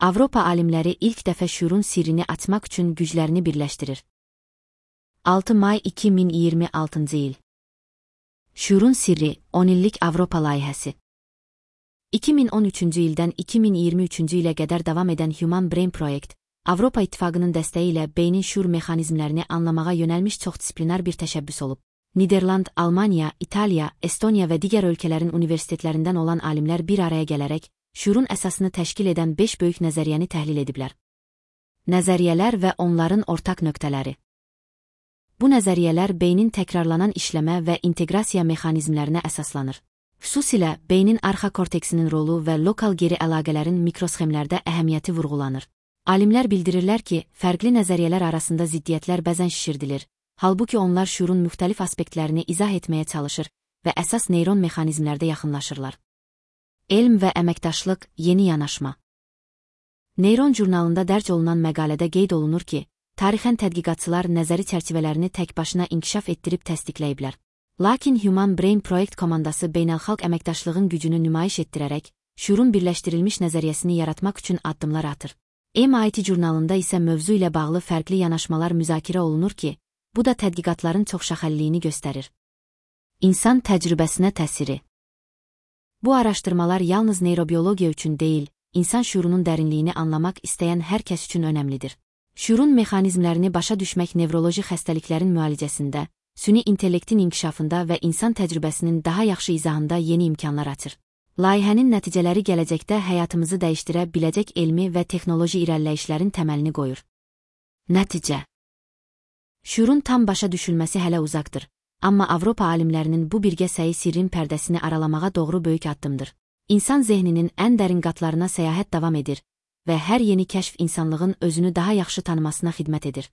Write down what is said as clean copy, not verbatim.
Avropa alimləri ilk dəfə şuurun sirrini açmaq üçün güclərini birləşdirir. 6 may 2026-cı il. Şuurun sirri, 10 illik Avropa layihəsi. 2013-cü ildən 2023-cü ilə qədər davam edən Human Brain Project, Avropa İttifaqının dəstəyi ilə beynin şuur mexanizmlərini anlamağa yönəlmiş çoxdisiplinar bir təşəbbüs olub. Niderland, Almaniya, İtaliya, Estoniya və digər ölkələrin universitetlərindən olan alimlər bir araya gələrək, şuurun əsasını təşkil edən 5 böyük nəzəriyyəni təhlil ediblər. Nəzəriyyələr və onların ortaq nöqtələri. Bu nəzəriyyələr beynin təkrarlanan işləmə və inteqrasiya mexanizmlərinə əsaslanır. Xüsusilə, beynin arxa korteksinin rolu və lokal geri əlaqələrin mikrosxemlərdə əhəmiyyəti vurğulanır. Alimlər bildirirlər ki, fərqli nəzəriyyələr arasında ziddiyyətlər bəzən şişirdilir, halbuki onlar şuurun müxtəlif aspektlərini izah etməyə çalışır və əsas neyron mexanizmlərdə yaxınlaşırlar. Elm və əməkdaşlıq, yeni yanaşma. Neyron jurnalında dərc olunan məqalədə qeyd olunur ki, tarixən tədqiqatçılar nəzəri çərçivələrini təkbaşına inkişaf etdirib təsdiqləyiblər. Lakin Human Brain Project komandası beynəlxalq əməkdaşlığın gücünü nümayiş etdirərək, şuurun birləşdirilmiş nəzəriyyəsini yaratmaq üçün addımlar atır. MIT jurnalında isə mövzu ilə bağlı fərqli yanaşmalar müzakirə olunur ki, bu da tədqiqatların çoxşaxəlliliyini göstərir. İnsan təcrübəsinə təsiri. Bu araşdırmalar yalnız neyrobiologiya üçün deyil, insan şuurunun dərinliyini anlamaq istəyən hər kəs üçün önəmlidir. Şuurun mexanizmlərini başa düşmək nevroloji xəstəliklərin müalicəsində, süni intellektin inkişafında və insan təcrübəsinin daha yaxşı izahında yeni imkanlar açır. Layihənin nəticələri gələcəkdə həyatımızı dəyişdirə biləcək elmi və texnoloji irəliləyişlərin təməlini qoyur. Nəticə. Şuurun tam başa düşülməsi hələ uzaqdır, amma Avropa alimlərinin bu birgə səyi sirrin pərdəsini aralamağa doğru böyük addımdır. İnsan zehninin ən dərin qatlarına səyahət davam edir və hər yeni kəşf insanlığın özünü daha yaxşı tanımasına xidmət edir.